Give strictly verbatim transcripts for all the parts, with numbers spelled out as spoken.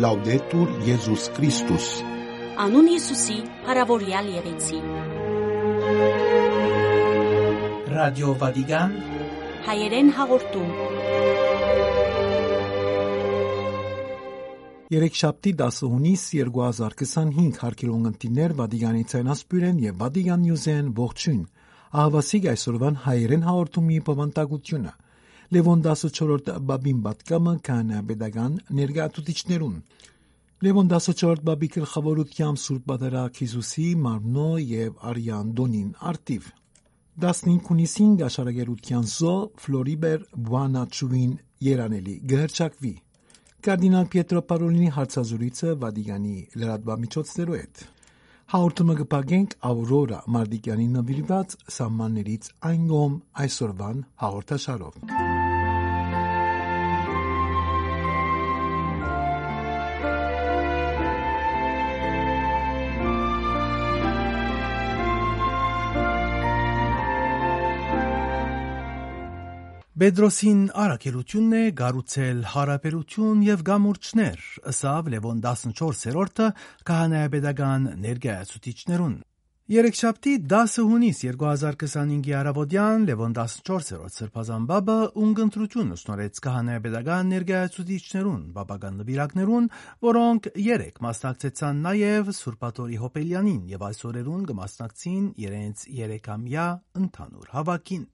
Լաուդետուր Եզուս Քրիստոս։ Անուն Յիսուսի փառաւորեալ եղեցի։ Ռադիո Վատիկան, հայերեն հաղորդում։ Երեքշաբթի, դասը հունիս երկու հազար քսանհինգ, հարգելի ունգընտիրներ, Վատիկանի ցայնասփիւռէն եւ Վատիկան Նիուզէն ողջոյն։ Ահաւասիկ այսօրուան հայերեն հաղորդումի բովանդակութիւնը։ Լեւոն տասնչորրորդ Պապին պատգամը քահանայապետական ներկայացուցիչներուն։ Լեւոն տասնչորրորդ Պապի գլխաւորութեամբ Սուրբ Պատարագ Յիսուսի մարմնոյ եւ արեան տօնին առթիւ։ Տասնհինգ հունիսին կ'աշարակերութեան զոհ Ֆլորիբեր Բուանաչուին երանելի կը հռչակուի։ Կարդինալ Պիետրո Պարոլինի հարցազրոյցը Վատիկանի լրատուամիջոցներու հետ։ Հաղորդումը կը փակենք Աուրորա Մարտիկյանին նուիրուած սահմաններից այն կողմ այսօրուան հաղորդաշարով։ Պետրոսին առաքելութիւնն է կառուցել յարաբերութիւն եւ կամուրջներ, ըսաւ Լեւոն տասնչորսերորդը քահանայապետական ներկայացուցիչներուն։ Երեքշաբթի, դասը հունիս երկու հազար քսանհինգի առաւօտեան Լեւոն տասնչորսերորդ Սրբազան Պապը ունգընտրութիւն շնորհեց քահանայապետական ներկայացուցիչներուն, պապական նուիրակներուն, որոնք երեկ մասնակցեցան նաեւ Սուրբ Աթոռի Յոբելյանին եւ այս օրերուն կը մասնակցին իրենց երեքամեայ ընդհանուր հաւաքին։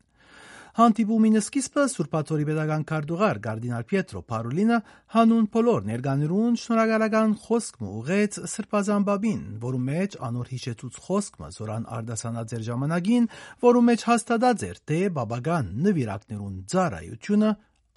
Հանդիպումին սկիզբը Սուրբ Աթոռի պետական քարտուղար կարդինալ Պիետրո Փարոլինը յանուն բոլոր ներկաներուն շնորհակալական խօսք մը ուղղեց Սրբազան Պապին, որու մէջ անոր յիշեցուց խօսք մը, որ ան արտասանած էր ժամանակին, որու մէջ հաստատած էր, թէ պապական նուիրակներուն ծառայութիւնը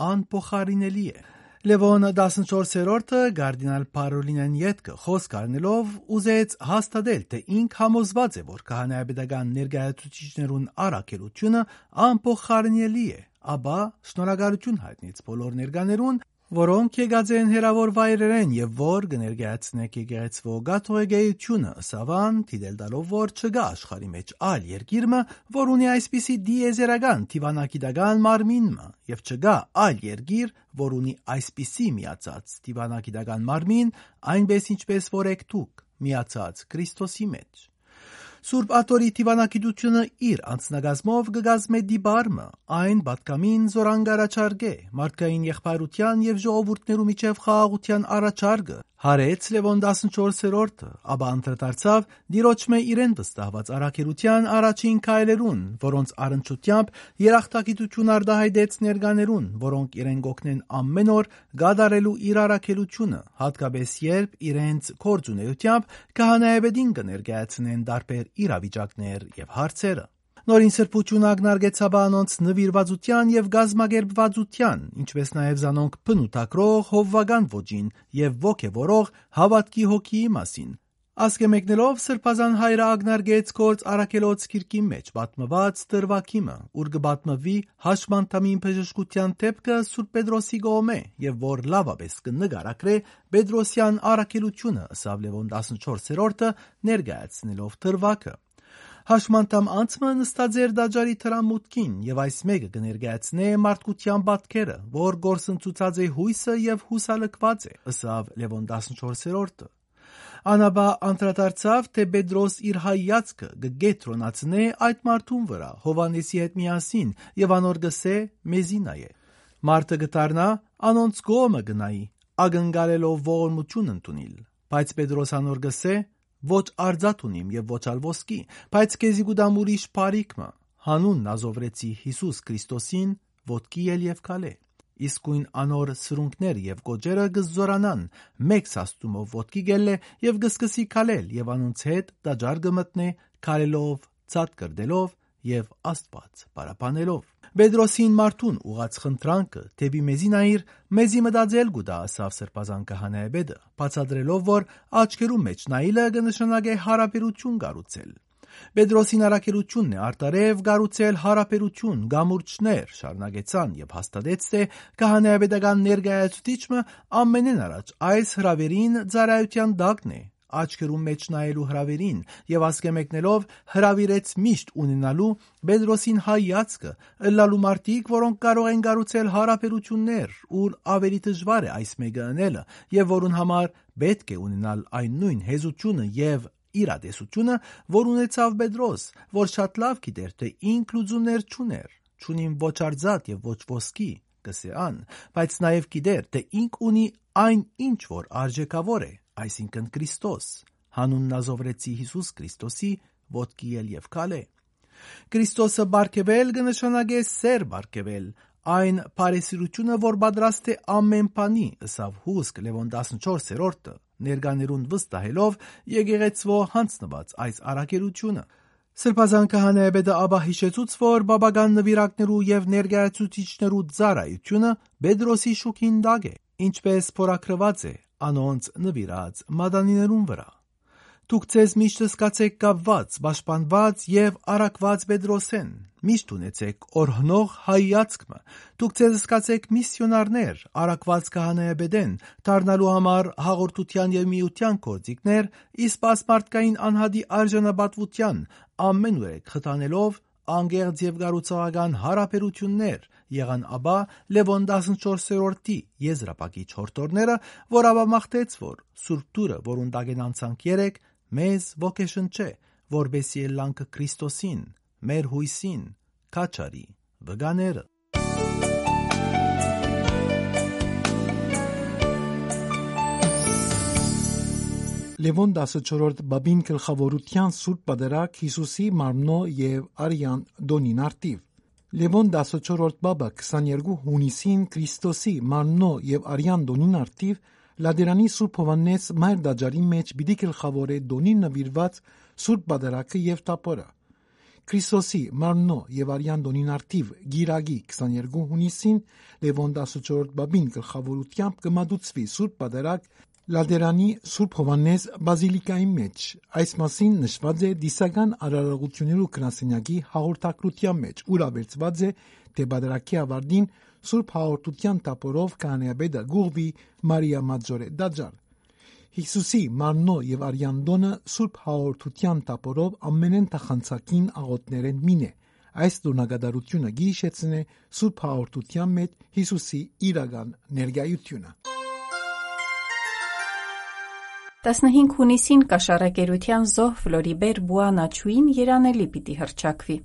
անփոխարինելի է։ Լեւոն տասնչորսերորդը կարդինալ Փարոլինէն ետքը խօսք առնելով ուզեց հաստատել, թէ ինք համոզուած է, որ քահանայապետական ներկայացուցիչներուն առաքելութիւնը անփոխարինելի է, ապա շնորհակալութիւն յայտնեց բոլոր ներկաներուն, որոնք եկած են հեռաւոր վայրերէն եւ որ կը ներկայացնէք եկեղեցւոյ կաթողիկէութիւնը, ըսաւ ան, դիտել տալով, որ չկայ աշխարհի մէջ այլ երկիր մը, որ ունի այսպիսի տիեզերական դիւանագիտական մարմին մը, եւ չկայ այլ երկիր, որ ունի այսպիսի միացած դիւանագիտական մարմին, այնպէս ինչպէս որ էք դուք, միացած Քրիստոսի մէջ։ Սուրբ Աթոռի դիւանագիտութիւնը իր անձնակազմով կը կազմէ տիպար մը, այն պատգամին, զոր ան կ'առաջարկէ մարդկային եղբայրութեան եւ ժողովուրդներու միջեւ խաղաղութեան առաջարկը, յարեց Լեւոն տասնչորսերորդը, ապա անդրադարձաւ Տիրոջ մէ իրեն վստահուած առաքելութեան առաջին քայլերուն, որոնց առնչութեամբ երախտագիտութիւն արտայայտեց ներկաներուն, որոնք իրեն կ'օգնեն ամէն օր կատարելու իր առաքելութիւնը, յատկապէս երբ իրենց գործունէութեամբ քահանայապետին կը ներկայացնեն տարբեր իրավիճակներ եւ հարցերը։ Նորին սրբութիւնը ակնարկեց ապա անոնց նուիրուածութեան եւ կազմակերպուածութեան, ինչպէս նաեւ զանոնք բնութագրող հովուական ոճին եւ ոգեւորող հաւատքի հոգիի մասին։ Ասկէ մեկնելով Սրբազան Հայրը ակնարկեց Գործ առաքելոց գիրքին մէջ պատմուած դրուագի մը, ուր կը պատմուի հաշմանդամին բժշկութեան դէպքը Սուրբ Պետրոսի կողմէ եւ որ լաւապէս կը նկարագրէ Պետրոսեան առաքելութիւնը, ըսաւ Լեւոն տասնչորսերորդը՝ ներկայացնելով դրուագը։ Հաշմանդամ անձ մը նստած էր տաճարի դրամուտքին եւ այս մէկը կը ներկայացնէ մարդկութեան պատկերը, որ կորսնցուցած է յոյսը եւ յուսալքուած է, ըսաւ Լեւոն տասնչորսերորդը։ Ան ապա անդրադարձաւ, թէ Պետրոս իր հայացքը կը կեդրոնացնէ այդ մարդուն վրայ, Յովհաննէսի հետ միասին, եւ անոր կ'ըսէ. «Մեզի նայէ»։ Մարդը կը դառնայ, անոնց կողմը կը նայի, ակնկալելով ողորմութիւն ընդունիլ։ Բայց Պետրոս անոր կ'ըսէ. «Ոչ արծաթ ունիմ եւ ոչ ալ ոսկի, բայց քեզի կու տամ ուրիշ բարիք մը, յանուն նազովրեցի Յիսուս Քրիստոսին, ոտքի ել եւ քալէ»։ Իսկոյն անոր սրունքներ եւ կոճերը կը զօրանան, մէկ սաստումով ոտքի կ'ելլէ եւ կը սկսի քալել եւ անոնց հետ տաճար կը մտնէ, քալելով, ցատկռտելով եւ Աստուած փառաբանելով։ Պետրոսին մարդուն ուղղած խնդրանքը դէպի «Մեզի նայիր, մեզի մտածել կու տայ», ըսաւ Սրբազան քահանայապետը, բացատրելով, որ աչքերու մէջ նայիլը կը նշանակէ յարաբերութիւն կառուցել։ Պետրոսին առաքելութիւնն է արդարեւ կառուցել յարաբերութիւն, կամուրջներ շարունակեցան եւ հաստատեց, թէ քահանայապետական ներկայացուցիչ մը ամենէն առաջ այս հրաւերին ծառայութեան տակն է, աչքերուն մէջ նայելու հրաւերին եւ ասկէ մեկնելով հրաւիրեց միշտ ունենալու Պետրոսին հայացքը, ըլլալու մարդիկ, որոնք կարող են կառուցել հարաբերութիւններ, ուր աւելի դժուար է այս մէկը ընելը եւ որուն համար պէտք է ունենալ այն նոյն հեզութիւնը եւ իրատեսութիւնը, որ ունեցաւ Պետրոս, որ շատ լաւ գիտէր թէ ինք լուծումներ չունէր, «Չունիմ ոչ արծաթ եւ ոչ ոսկի», կ'ըսէ ան, բայց նաեւ գիտէր թէ ինք ունի այն ինչ որ արժէքաւոր է, այսինքն՝ Քրիստոս, յանուն Նազովրեցի Յիսուս Քրիստոսի, ոտքի ել եւ քալէ։ Քրիստոսը պարգեւել կը նշանակէ սէր պարգեւել, այն բարեսիրութիւնը, որ պատրաստ է ամէն բանի, ըսաւ հուսկ Լեւոն տասնչորսերորդը, ներկաներուն վստահելով եկեղեցւոյ յանձնուած այս առաքելութիւնը։ Սրբազան քահանայապետը ապա յիշեցուց, որ պապական նուիրակներու եւ ներկայացուցիչներու ծառայութիւնը Պետրոսի շուքին տակ է, ինչպէս փորագրուած է անոնց նուիրած մատանիներուն վրայ։ «Դուք ձեզ միշտ զգացէք կապուած, պաշտպանուած եւ առաքուած Պետրոսէն։ Միշտ ունեցէք օրհնող հայացք մը։ Դուք ձեզ զգացէք միսիոնարներ, առաքուած քահանայապետէն, դառնալու համար հաղորդութեան եւ միութեան գործիքներ, իսկ այս մարդկային անհատի արժանապատվութեան ամէնուրեք խթանելով, անկեղծ եւ կառուցողական յարաբերութիւններ եղան ապա Լեւոն տասնչորսերորդի եզրափակիչ հորդորները, որ ապա մաղթեց, որ Սուրբ Տուրը, որուն տակէն անցանք երեք, մեզ ոգեշնչէ, որպեսզի ելլանք Քրիստոսին, մեր յոյսին, քաջարի վկաները»։ Լեւոն տասնչորսերորդ պապին գլխաւորութեան Սուրբ Պատարագ Յիսուսի մարմնոյ եւ արեան տօնին առթիւ։ Լեւոն տասնչորսերորդ պապը քսաներկու յունիսին Քրիստոսի մարմնոյ եւ արեան տօնին առթիւ Լատերանի Սուրբ Յովհաննէս Մայր տաճարի մէջ պիտի գլխաւորէ տօնին նուիրուած Սուրբ Պատարագը եւ թափօրը։ Քրիստոսի մարմնոյ եւ արեան տօնին առթիւ կիրակի քսաներկու յունիսին Լեւոն տասնչորսերորդ պապին գլխաւորութեամբ կը մատուցուի Սուրբ Պատարագ Լատերանի Սուրբ Յովհաննէս բազիլիկայի մէջ։ Այս մասին նշուած է Դիսական արարողութիւններու գրասենյակի հաղորդագրութեան մէջ, ուր աւելցուած է թէ Պատարագի աւարտին Սուրբ Հաղորդութեան թափօրով քահանայապետը կ'ուղղուի Մարիա Մաձորի տաճար։ Յիսուսի մարմնոյ եւ արեան տօնը Սուրբ Հաղորդութեան թափօրով ամենէն թախանցակին աղօթքներէն մին է։ Այս տօնակատարութիւնը կը յիշեցնէ Սուրբ Հաղորդութեան մէջ Յիսուսի իրական ներկայութիւնը։ Տասնհինգ յունիսին կաշառակերութեան զոհ Ֆլորիբեր Պուանաչուին երանելի պիտի հռչակուի։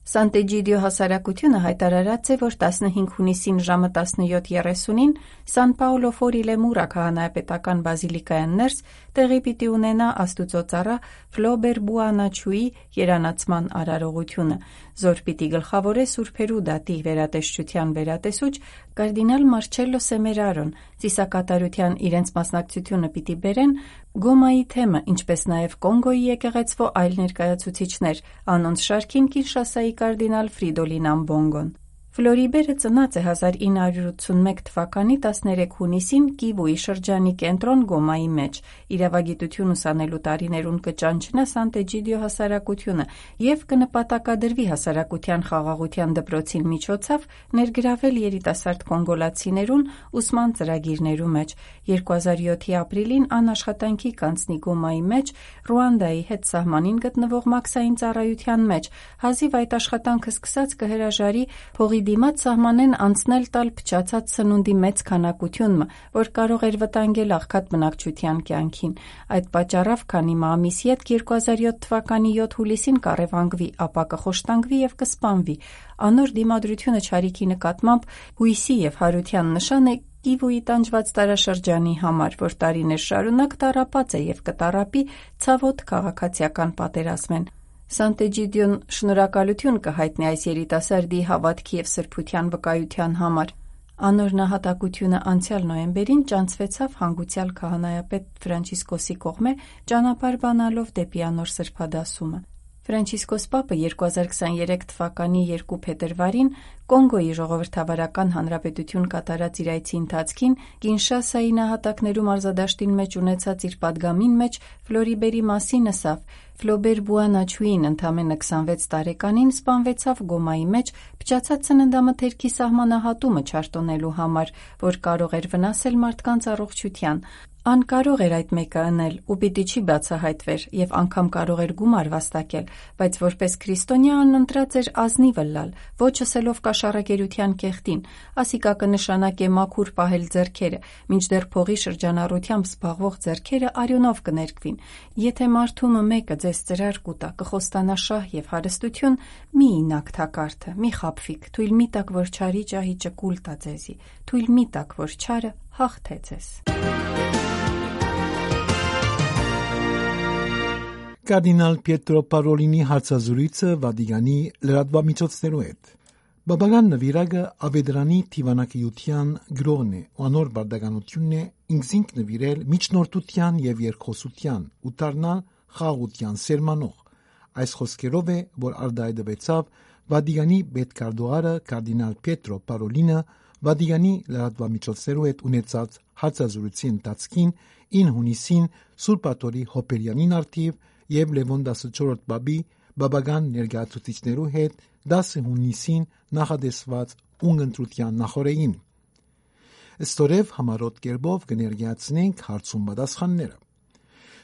Սանտէջիդիո հասարակութիւնը յայտարարած է, որ տասնհինգ յունիսին ժամը տասնեթ երեսունին Սան Պաուլո Ֆորիլեմուրա քահանայապետական բազիլիկայէն ներս տեղի պիտի ունենայ Աստուծոյ ծառայ Ֆլորիբեր Պուանաչուի երանացման արարողութիւնը, զոր պիտի գլխաւորէ Սուրբերու դատի վերատեսչութեան վերատեսուչ կարդինալ Մարչելլո Սեմերարոն, ծիսակատարութեան իրենց մասնակցութիւնը պիտի բերեն Գոմայի թեմը, ինչպէս նաեւ Կոնկոյի եկեղեցւոյ այլ ներկայացուցիչներ, անոնց շարքին Կինշասայի կարդինալ Ֆրիդոլին Ամբոնգոն։ Ֆլորիբերը ծնած է հազար ինը հարիւր ութսունմէկ թվականի տասներեք յունիսին Կիվուի շրջանի կենտրոն Գոմայի մէջ։ Իրաւագիտութիւն ուսանելու տարիներուն կը ճանչնայ Սանտէջիդիո հասարակութիւնը եւ կը նպատակադրուի հասարակութեան խաղաղութեան դպրոցին միջոցով ներգրաւել երիտասարդ կոնկոլացիներուն ուսման ծրագիրներու մէջ։ Երկու հազար յոթի ապրիլին ան աշխատանքի կանցնի Գոմայի մէջ, Ռուանդայի հետ սահմանին գտնուող մաքսային ծառայութեան մէջ։ Հազիւ այդ աշխատանքը սկսած կը հրաժարի փողի դիմաց սահմանէն անցնել տալ փչացած սնունդի մեծ քանակութիւն մը, որ կարող էր վտանգել աղքատ բնակչութեան կեանքին։ Այդ պատճառով, քանի մը ամիս ետք, երկու հազար յոթ թվականի յոթ յուլիսին կառեւանգուի, ապա կը խոշտանգուի եւ կը սպանուի։ Անոր դիմադրութիւնը չարիքի նկատմամբ յոյսի եւ յարութեան նշան է Կիվուի տանջուած տարաշրջանի համար, որ տարիներ շարունակ տառապած է եւ կը տառապի ցաւոտ քաղաքացիական պատերազմէն։ Սանտէջիդիոն շնորհակալութիւն կը յայտնի այս երիտասարդի հաւատքի եւ սրբութեան վկայութեան համար։ Անոր նահատակութիւնը անցեալ նոյեմբերին ճանչցուեցաւ հանգուցեալ քահանայապետ Ֆրանցիսկոսի կողմէ ճանապարհ բանալով դէպի անոր սրբադասումը։ Ֆրանցիսկոս Պապը երկու հազար քսաներեք թվականի երկու փետրուարին Կոնգոյի ժողովրդավարական հանրապետութիւն կատարած իր այցի ընթացքին Կինշասայի նահատակներու մարզադաշտին մէջ ունեցած իր պատգամին մէջ Ֆլորիբերի մասին ըսաւ. «Ֆլորիբեր Բուանաչուին ընդամենը քսանվեց տարեկանին սպանվեցաւ Գոմայի մէջ փչացած սննդամթերքի սահմանահատումը չարտոնելու համար, որ կարող էր վնասել մարդկանց առողջութեան։ Ան կարող էր այդ մէկը ընել ու պիտի չի բացահայտվեր եւ անգամ կարող էր գումար վաստակել, բայց որպես քրիստոնեայ ան ընտրած էր ազնիվ ըլլալ, ոչ ըսելով կաշառակերութեան կեղտին, ասիկա կը նշանակէ մաքուր պահել ձեռքերը, մինչդեռ փողի շրջանառութեամբ զբաղվող ձեռքերը արիւնով կը ներկուին։ Եթէ մարդու մը մէկը ձեզ ծրար կու տայ, կը խոստանայ շահ եւ հարստութիւն, մի իյնաք թակարդը, մի խաբուիք, թոյլ մի տաք որ չարի ճահիճը կուլ տայ ձեզի, թոյլ մի տաք որ չարը հաղթէ ձեզ։ Կարդինալ Պիետրո Պարոլինի հարցազրոյցը Վատիկանի լրատուամիջոցներու հետ։ Պապական նուիրակը աւետարանի դիւանագիտութեան գրողն է ու անոր պարտականութիւնն է ինքզինք նուիրել միջնորդութեան եւ երկխօսութեան ու դառնալ խաղաղութեան սերմանող։ Այս խօսքերով է, որ արտայայտուեցաւ Վատիկանի պետքարտուղարը կարդինալ Պիետրո Պարոլինը Վատիկանի լրատուամիջոցներու հետ ունեցած հարցազրույցի ընթացքին ինը յունիսին Սուրբ Աթոռի Յոբելեանին առթիւ եւ Լեւոն տասնչորրորդ պապի պապական ներկայացուցիչներու հետ դասը յունիսին նախատեսուած ունգընտրութեան նախօրեին։ Ստորեւ համառոտ կերպով կը ներկայացնենք հարցում պատասխանները։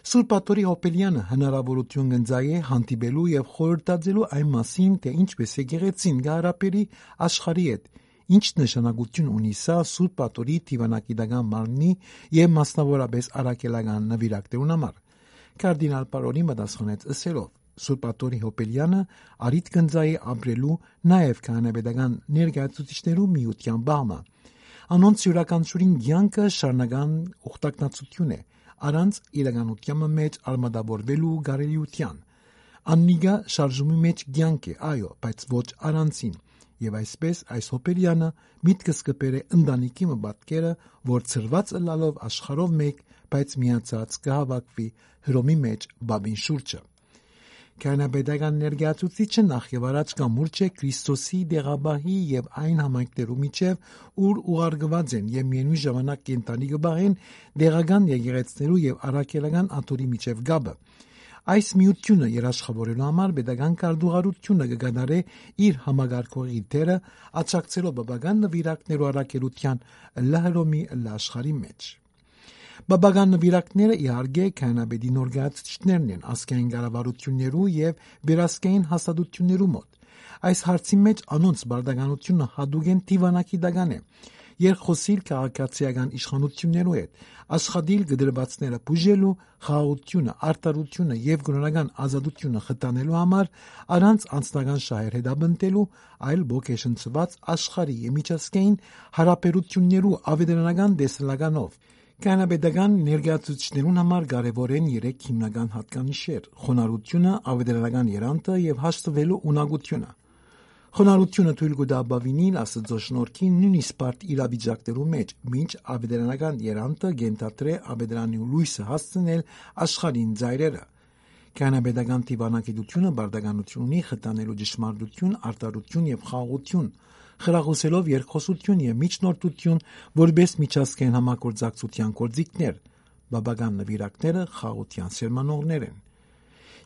Սուրբ Աթոռի Յոբելեանը հնարաւորութիւն կ'ընծայէ հանդիպելու եւ խորհրդածելու այն մասին, թէ ինչպէս եկեղեցին կը հարաբերի աշխարհի հետ, ինչ նշանակութիւն ունի սա Սուրբ Աթոռի դիւանագիտական մարմնի եւ մասնաւորաբէս առաքելական նուիրակներուն համար։ Կարդինալ Պարոլին պատասխանեց ըսելով. «Սուրբ Աթոռի Յոբելեանը առիթ կ'ընծայէ ապրելու նաեւ քահանայապետական ներկայացուցիչներու միութեան պահ մը։ Անոնց իւրաքանչիւրին կեանքը շարունակական ուխտակցութիւն է, առանց իրականութեան մը մէջ արմատավորուելու կարելիութեան։ Աննիկա շարժումի մէջ կեանք է, այո, բայց ոչ առանցին։ Եւ այսպէս այս Յոբելեանը միտքս կը բերէ ընտանիքի մը պատկերը, որ ցրուած ըլլալով աշխարհով մէկ, բայց միացած կը հաւաքուի Հռոմի մէջ պապին շուրջը»։ Քահանայապետական ներկայացուցիչը նախ եւ առաջ կամուրջ է Քրիստոսի, դեղապահի եւ այն համայնքներու միջեւ, ուր ուղարկուած են եւ միեւնոյն ժամանակ կենդանի կը պահեն դեղական եկեղեցիներու եւ առաքելական աթոռի միջեւ կապը։ Այս միութիւնը երաշխաւորելու համար պետական քարտուղարութիւնը կը կատարէ իր համակարգողի դերը, աջակցելով պապական նուիրակներու առաքելութեան ըլլայ Հռոմի, ըլլայ աշխարհի մէջ։ Պապական նուիրակները, իհարկե, քահանայապետի ներկայացուցիչներն են ազգային կառավարութիւններու եւ վերազգային հաստատութիւններու մօտ։ Այս հարցի մէջ անոնց պարտականութիւնը յատուկ են դիւանագիտական է։ Երկխօսիլ քաղաքացիական իշխանութիւններու հետ, աշխատիլ կտրուածները բուժելու, խաղաղութիւնը, արդարութիւնը եւ կրօնական ազատութիւնը խթանելու համար, առանց անձնական շահեր հետապնդելու, այլ ոգեշնչուած աշխարհի եւ միջազգային յարաբերութիւններու աւետարանական տեսլականով։ Քահանայապետական ներկայացուցիչներուն համար կարեւոր են երեք հիմնական յատկանիշեր՝ խոնարհութիւնը, աւետարանական երանդը եւ հաշտուելու ունակութիւնը։ Խոնարհութիւնը թոյլ կու տայ բաւինիլ Աստուծոյ շնորհքին նոյնիսկ բարդ իրավիճակներու մէջ, մինչ աւետարանական երանդը կ'ենթադրէ աւետարանի լոյսը հասցնել աշխարհին ծայրերը։ Քահանայապետական դիւանագիտութիւնը պարտականութիւն ունի խթանելու ճշմարտութիւն, արդարութիւն եւ խաղաղութիւն, խրախուսելով երկխօսութիւն եւ միջնորդութիւն որպէս միջազգային համագործակցութեան գործիքներ։ Պապական նուիրակները խաղաղութեան սերմանողներ են։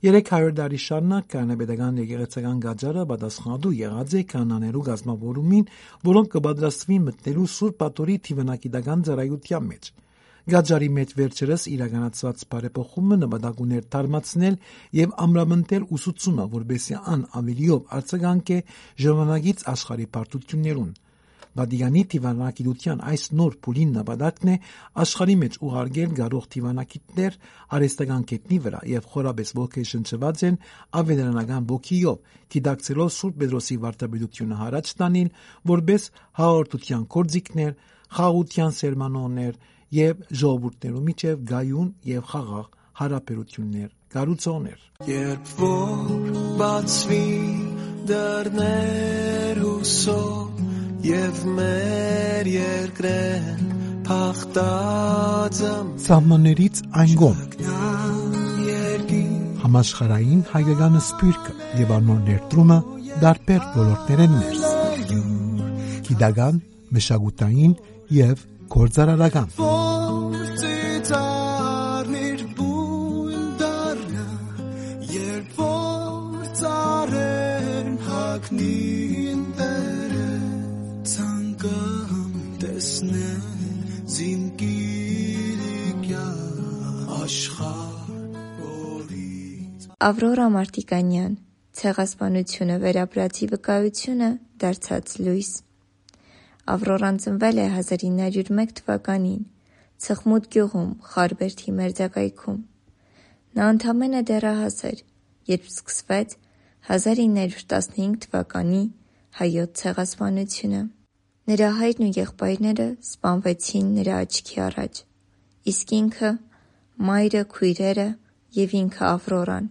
Երեք հարիւր տարի շարունակ քահանայապետական եկեղեցական կաճառը պատասխանատու եղած է քահանաներու կազմաւորումին, որոնք կը պատրաստուին մտնելու Սուրբ Աթոռի դիւանագիտական ծառայութեան մէջ։ Կաճառի մէջ վերջերս իրականացուած բարեփոխումը նպատակ ուներ թարմացնել եւ ամրապնդել ուսուցումը, որպէսզի ան աւելիով արձագանքէ ժամանակից աշխարհի բարդութիւններուն։ Վատիկանի դիւանագիտութեան այս նոր փուլին նպատակն է աշխարհի մէջ ուղարկել կարող դիւանագիտներ արհեստական գետնի վրայ եւ խորապէս ոգեշնչուած են աւետարանական ոգիով, գիտակցելով Սուրբ Պետրոսի վարդապետութիւնը յառաջ տանիլ որպէս հաղորդութեան գործիքներ, խաղաղութեան սերմանողներ եւ ժողովուրդներու միջեւ կայուն եւ խաղաղ յարաբերութիւններ կառուցողներ։ Երբ որ բացուի դռներ հուսով, եւ մեր երկրեն փախտած ամ Սահմաններից այն կողմ։ Չկնամ երկիր համաշխարհային հայկական սփիւռքը եւ անոր ներդրումը տարբեր ոլորտներէն ներս։ Գիտական, մշակութային եւ գործարարական։ Որ ծիծաղնիր բուն դառնա, երբ որ ծառերն հագնին դերը, ցանկամ տեսնել զինկիրիկյա Ավրորա Մարտիկանյան, Ցեղասպանությունը վերապրածի վկայությունը դարձած լոյս։ Ավրորան ծնվել է հազար ինը հարիւր մէկ թուականին Ծխմուտ գիւղում, Խարբերդի մերձակայքում։ Նա ընդամենը դեռահաս էր, երբ սկսվեց հազար ինը հարիւր տասնհինգ թուականի հայոց ցեղասպանությունը։ Նրա հայրն ու եղբայրները սպանվեցին նրա աչքի առաջ, իսկ ինքը, մայրը, քոյրերը եւ ինքը Ավրորան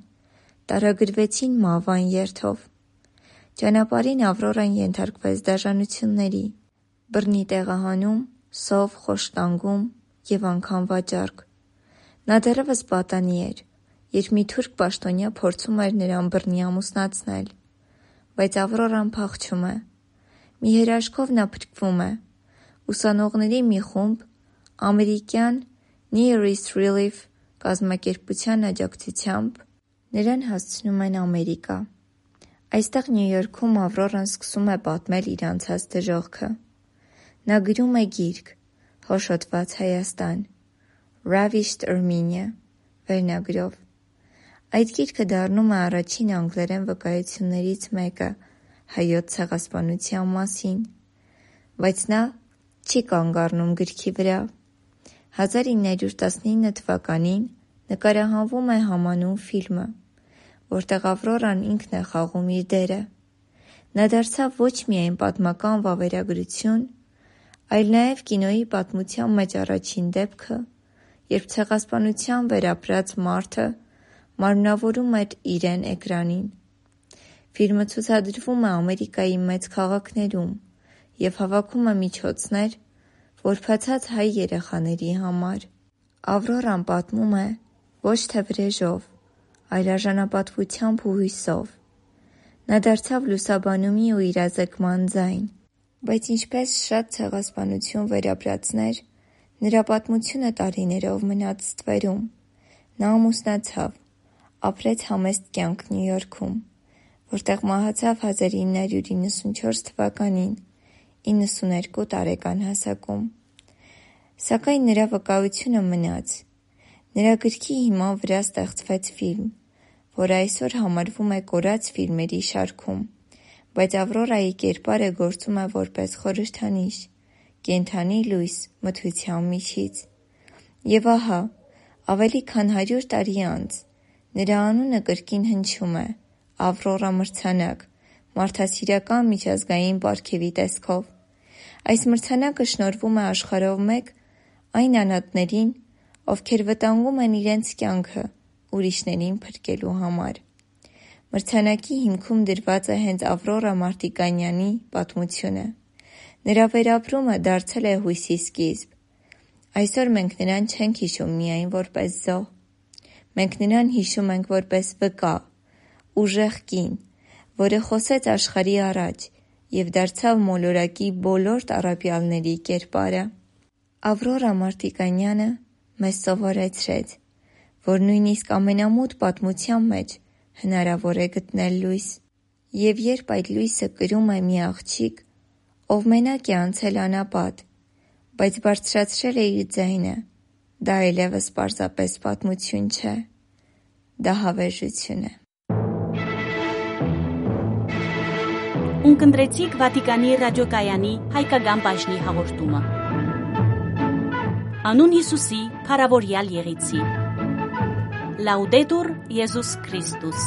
տարագրուեցին մահվան երթով։ Ճանապարհին Ավրորան ենթարկվեց դաժանությունների, բռնի տեղահանում, սով, խոշտանգում եւ անգամ վաճառք։ Նա դեռեւս պատանի էր, երբ մի թուրք պաշտոնեայ փորձում էր նրան բռնի ամուսնացնել, բայց Ավրորան փախչում է։ Մի հրաշքով նա փրկվում է։ Ուսանողների մի խումբ ամերիկյան Near East Relief կազմակերպութեան աջակցությամբ նրան հասցնում են Ամերիկա։ Այստեղ, Նիու Յորքում, Ավրորան սկսում է պատմել իր անցած դժոխքը։ Նա գրում է գիրք՝ Հոշոտված Հայաստան, Ravished Armenia վերնագրով։ Այդ գիրքը դառնում է առաջին անգլերեն վկայություններից մեկը հայոց ցեղասպանության մասին, բայց նա չի կանգ առնում գրքի վրա։ Հազար ինը հարիւր տասնինը թուականին նկարահանվում է համանուն ֆիլմը, որտեղ Ավրորան ինքն է խաղում իր դերը։ Նա դարձաւ ոչ միայն պատմական վավերագրություն, այլ նաեւ կինոյի պատմության մէջ առաջին դեպքը, երբ ցեղասպանության վերապրած մարդը մարմնավորում էր իրեն էկրանին։ Ֆիլմը ցուցադրվում է Ամերիկայի մեծ քաղաքներում եւ հավաքում է միջոցներ որբացած հայ երեխաների համար։ Ավրորան պատմում է ոչ թե վրեժով, այլ արժանապատվությամբ ու հոյսով։ Նա դարձաւ լուսաբանումի ու իրազեկման ձայն, բայց ինչպես շատ ցեղասպանություն վերապրածներ, նրա պատմությունը տարիներով մնաց ստվերում։ Նա ամուսնացաւ, ապրեց համեստ կեանք Նիու Յորքում, որտեղ մահացաւ հազար ինը հարիւր իննսուն չորս թուականին, իննսուն երկու տարեկան հասակում։ Սակայն նրա վկայությունը մնաց։ Նրա գրքի հիման վրայ ստեղծվեց ֆիլմ, որ այսօր համարվում է կորած ֆիլմերի շարքում, բայց Ավրորայի կերպարը գործում է որպես խորհրդանիշ, կենդանի լոյս մթության միջից։ Եւ ահա, ավելի քան հարիւր տարի անց, նրա անունը կրկին հնչում է Ավրորա մրցանակ, մարդասիրական միջազգային պարգեւի տեսքով։ Այս մրցանակը շնորհվում է աշխարհով մէկ այն անհատներին, ովքեր վտանգում են իրենց կեանքը ուրիշներին փրկելու համար։ Մրցանակի հիմքում դրուած է հենց Ավրորա Մարտիկանյանի պատմությունը։ Նրա վերապրումը դարձել է հոյսի սկիզբ։ Այսօր մենք նրան չենք յիշում միայն որպես զոհ։ Մենք նրան յիշում ենք որպես վկայ, ուժեղ կին, որը խօսեց աշխարհի առաջ եւ դարձաւ մոլորակի բոլոր տառապեալների կերպարը։ Ավրորա Մարտիկանյանը մեզ սովորեցրեց, որ նոյնիսկ ամենամութ պատմության մէջ հնարաւոր է գտնել լոյս։ Եւ երբ այդ լոյսը կրում է մի աղջիկ, ով մենակ է անցել անապատ, բայց բարձրացրել է իր ձայնը, դա այլեւս պարզապէս պատմություն չէ, դա հավերժություն է։ Ունկնդրեցիք Վատիկանի ռադիոկայանի հայկական բաժնի հաղորդումը։ Անուն Յիսուսի, փառաւորեալ եղեցի։ Լաուդետուր Յիսուս Քրիստոս։